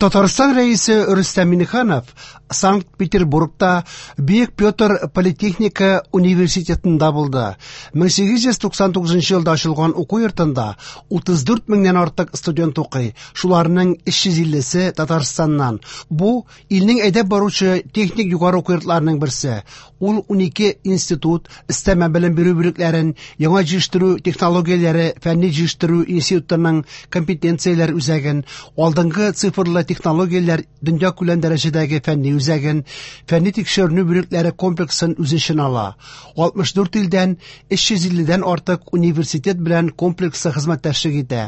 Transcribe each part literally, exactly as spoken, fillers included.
Татарстан Рәисе Рөстәм Миңнеханов Санкт-Петербургта Бөек Петр политехника университетында булды. мең сигез йөз туксан тугызынчы елда ачылган уку йортында утыз дүрт меңнән артык студент укый. Шуларның өч йөз иллесе Татарстаннан. Бу илнең әйдәп баручы техник югары уку йортларының берсе. Ул унике институт, өстәмә белем бирү бүлекләрен, яңа җитештерү технологияләре фәнни җитештерү институтының компетенцияләр үзәген, алдынгы цифрлы технологияләр дөньякүләм дәрәҗәдәге фәнни үзәген, фәнни тикшеренү бүлекләре комплексын үз эченә ала. Алтмыш дүрт илдән өч йөз илледән артык университет белән комплексы хезмәттәшлек итә.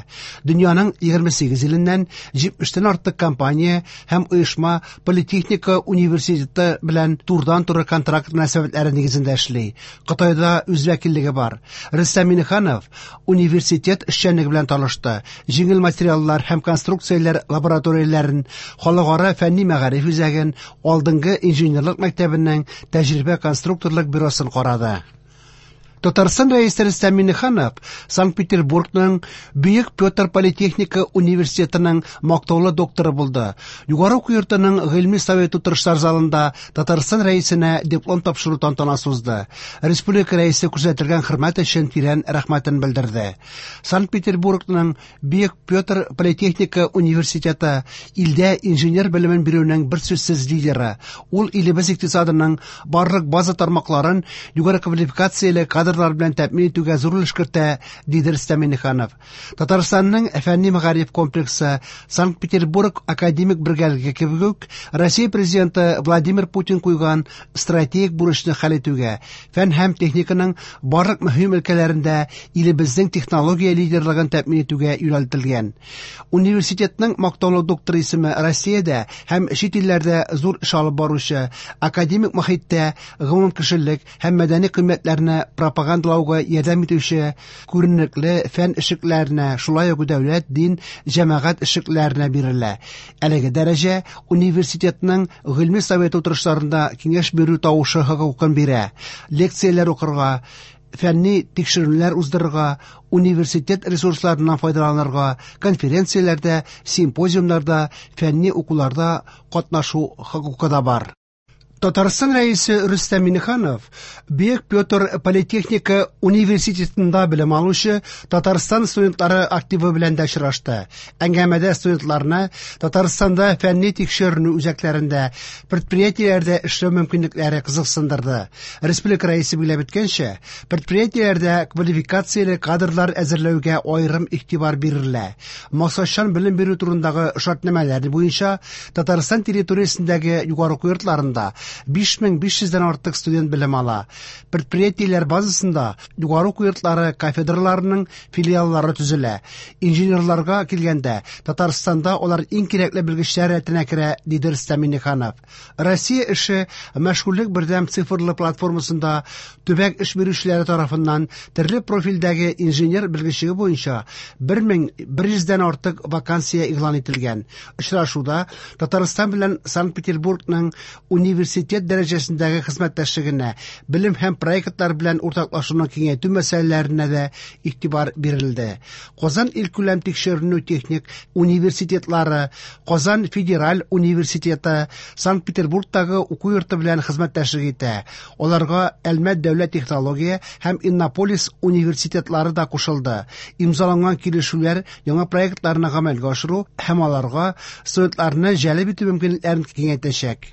Дөньяның егерме сигез иленнән җитмештән артык компания һәм оешма политехника университеты белән турыдан-туры контракт мөнәсәбәтләре нигезендә эшли. Кытайда үз вәкиллеге бар. Рөстәм Миңнеханов университет эшчәнлеге белән танышты. Җиңел материаллар һәм конструкцияләр лабораторияләрен, халыкара фәнни мәгариф үзәген, алдынгы инженерлык мәктәбенең тәҗрибә конструкторлык бюросын карады. Татарстан Рәисе Рөстәм Миңнеханов Санкт-Петербургның Бөек Петр политехника университетының мактаулы докторы булды. Югары уку йортының гыйльми совет утырышлар залында Татарстан Рәисенә диплом тапшыру тантанасы узды. Республика Рәисе күрсәтелгән хөрмәт өчен тирән рәхмәтен белдерде. Санкт-Петербургның Бөек Петр политехника университеты илдә инженер белемен бирүнең бер сүзсез лидеры. Ул илебез икътисадының барлык база тармакларын югары квалификацияле кадрлар белән тәэмин итүгә зур өлеш кертә, диде Рөстәм Миңнеханов. Татарстанның фәнни мәгариф комплексы Санкт-Петербург академик бергәлеге кебек үк Россия президенты Владимир Путин куйган стратегик бурычны хәл итүгә, фән һәм техниканың барлык мөһим өлкәләрендә илебезнең технология лидерлыгын тәэмин итүгә юнәлтелгән. Университетның мактаулы докторы исеме Россиядә һәм чит илләрдә зур эш алып баручы академик мохиттә гомумкешелек һәм мәдәни кыйммәтләрне пропагандалауга ярдәм итүче күренекле фән эшлекләренә, шулай ук дәүләт, дин, җәмәгать эшлекләренә бирелә. Әлеге дәрәҗә университетның гыйльми совет утырышларында киңәш бирү тавышы хокукын бирә. Лекцияләр укырга, фәнни тикшеренүләр уздырырга, университет ресурсларыннан файдаланырга, конференцияләрдә, симпозиумнарда, фәнни укуларда катнашу хокукы да бар. Татарстан Рәисе Рөстәм Миңнеханов Бөек Петр политехника университетында белем алучы Татарстан студентлары активы белән дә очрашты. Әңгәмәдә студентларны Татарстанда фәнни тикшеренү үзәкләрендә, предприятиеләрдә эшләү мөмкинлекләре кызыксындырды. Республика Рәисе билгеләп үткәнчә, предприятиеләрдә квалификацияле кадрлар әзерләүгә аерым игътибар бирелә. Максатчан белем бирү турындагы шартнамәләр буенча Татарстан территориясендәге югары уку йортларында биш мең биш йөздән артык студент белем ала. Предприятиеләр базасында югары уку йортлары кафедраларының филиаллары төзелә. Инженерларга килгәндә, Татарстанда алар иң кирәкле белгечләр рәтенә керә, диде Рөстәм Миңнеханов. Россия эше мәшгульлек бердәм цифрлы платформасында төбәк эш бирүчеләре тарафыннан төрле профильдәге инженер белгечлеге буенча бер мең бер йөздән артык вакансия игълан ителгән. Очрашуда Татарстан белән Санкт-Петербургның университет дәрәҗәсендәге хезмәттәшлегенә, белем һәм проектлар белән уртаклашуны киңәйтү мәсьәләләренә дә игътибар бирелде. Казан илкүләм тикшеренү техник университетлары, Казан федераль университеты Санкт-Петербургтагы уку йорты белән хезмәттәшлек итә. Аларга Әлмәт дәүләт технология һәм Иннополис университетлары да кушылды. Имзаланган килешүләр яңа проектларны гамәлгә ашыру һәм аларга студентларны җәлеп итү мөмкинлекләрен киңәйтәчәк.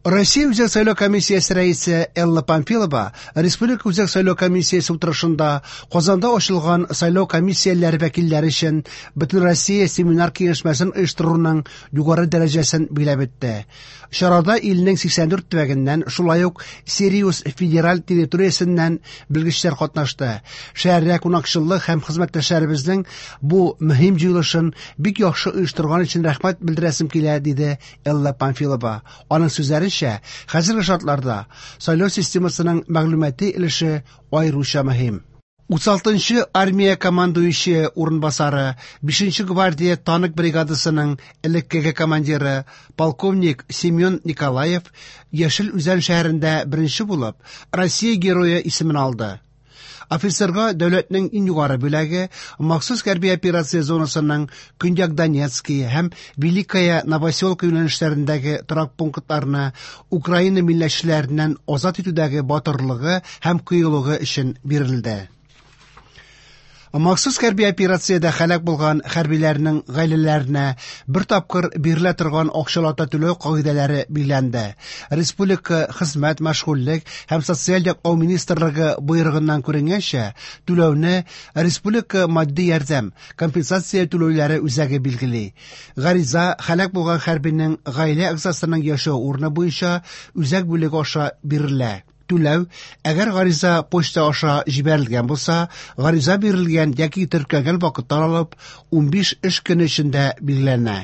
Россия Үзәк сайлау комиссиясе рәисе Элла Памфилова Республика Үзәк сайлау комиссиясе утырышында Казанда ачылган сайлау комиссияләре вәкилләре өчен Бөтенроссия семинар киңәшмәсен оештыруның югары дәрәҗәсен билгеләп үтте. Чарада илнең сиксән дүрт төбәгеннән, шулай ук Сириус федераль территориясеннән белгечләр катнашты. Шәһәрдә кунакчыллык һәм хезмәттәшләребезнең бу мөһим җыелышын бик яхшы оештырган өчен рәхмәт белдерәсем килә, диде Элла Памфилова. Аның сүзләренчә, хәзерге шартларда сайлау системасының мәгълүмати өлеше аеруча мөһим. Утыз алтынчы армия командующие урынбасары, бишенче гвардия танк бригадасының элеккеге командиры, полковник Семен Николаев Яшел Үзән шәһәрендә беренче булып Россия герое исемен алды. Офицерга дәүләтнең иң югары бүләге махсус хәрби операция зонасының Көньяк Донецкий һәм Великая Новоселка юнәлешләрендәге торак пунктларны Украина милләтчеләреннән азат итүдәге батырлыгы һәм кыюлыгы өчен бирелде. Махсус хәрби операциядә һәлак булган хәрбиләрнең гаиләләренә бер тапкыр бирелә торган акчалата түләү кагыйдәләре билгеләнде. Республика Хезмәт, мәшгульлек һәм социаль яклау министрлыгы боерыгыннан күренгәнчә, түләүне Республика матди ярдәм компенсация түләүләре үзәге билгели. Гариза һәлак булган хәрбинең гаилә әгъзасының яшәү урыны буенча үзәк бүлеге аша бирелә. Түләү, әгәр гариза почта аша җибәрелгән булса, гариза бирелгән яки теркәлгән вакыттан алып унбиш эш көне эчендә билгеләнә.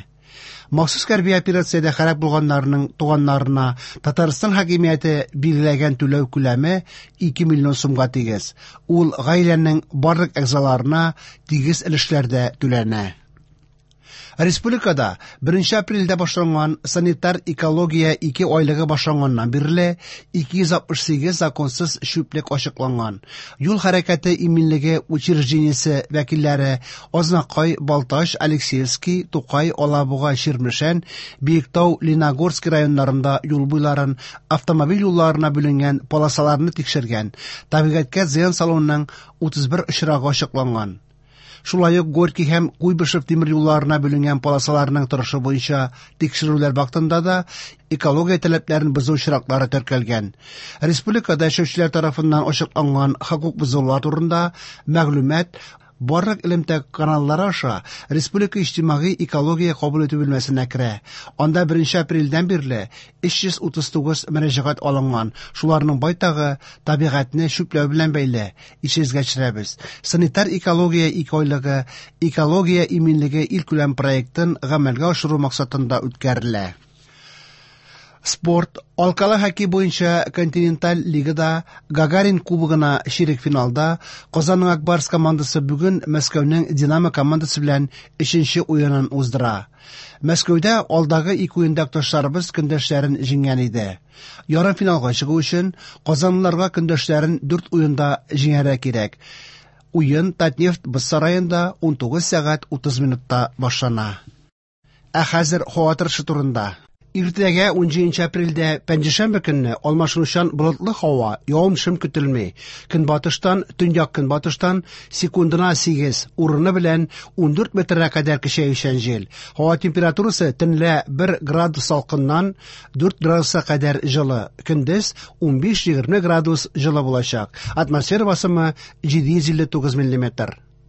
Махсус хәрби операциядә һәлак булганнарның туганнарына Татарстан хакимияте билгеләгән түләү күләме ике миллион сумга тигез. Ул гаиләнең барлык әгъзаларына тигез өлешләрдә түләнә. Республикада беренче апрельдә башланган санитар экология ике айлыгы башланганнан бирле ике йөз алтмыш сигез законсыз чүплек ачыкланган. Юл хәрәкәте иминлеге учреждениесе вәкилләре Азнакай, Балтач, Алексеевский, Тукай, Алабуга, Чирмешән, Биектау, Леногорск районнарында юл буйларын, автомобиль юлларына бүленгән полосаларны тикшергән. Табигатькә зыян салуның утыз бер очрагы ачыкланган. Шулай ук Горький һәм Куйбышев тимер юлларына бүленгән полосаларның торышы буенча тикшерүләр вакытында да экология таләпләрен бозу очраклары теркәлгән. Республикада яшәүчеләр тарафыннан ачыкланган хокук бозулар турында мәгълүмат барлык элемтә каналлары аша Республика иҗтимагый экология кабул итү бүлмәсенә керә. Анда беренче апрельдән бирле өч йөз утыз тугыз мөрәҗәгать алынган. Шуларның байтагы табигатьне чүпләү белән бәйле. Исегезгә төшерәбез. Санитар экология ике айлыгы экология иминлеге илкүләм проектын гамәлгә ашыру максатында үткәрелә. Спорт. Алкалы хоккей буенча континенталь лигада Гагарин кубогына чирек финалда Казанның Ак Барс командасы бүген Мәскәүнең Динамо командасы белән өченче уенын уздыра. Мәскәүдә алдагы ике уенда якташларыбыз көндәшләрен җиңгән иде. Ярым финалга чыгу өчен казанлыларга көндәшләрен дүрт уенда җиңәргә кирәк. Уен Татнефть боз сараенда унтугыз сәгать утыз минутта башлана. Ә хәзер һава торышы турында. Иртәгә унҗиденче апрельдә пәнҗешәмбе көнне алмашынучан болытлы һава, явым-төшем көтелми. Көнбатыштан, төньяк көнбатыштан секундына сигез, урыны белән ундүрт метргә кадәр көчәючән җил. Һава температурасы төнлә бер градус салкыннан дүрт градуска кадәр җылы, көндез унбиш-егерме градус җылы булачак. Атмосфера басымы җиде йөз илле тугыз миллиметр.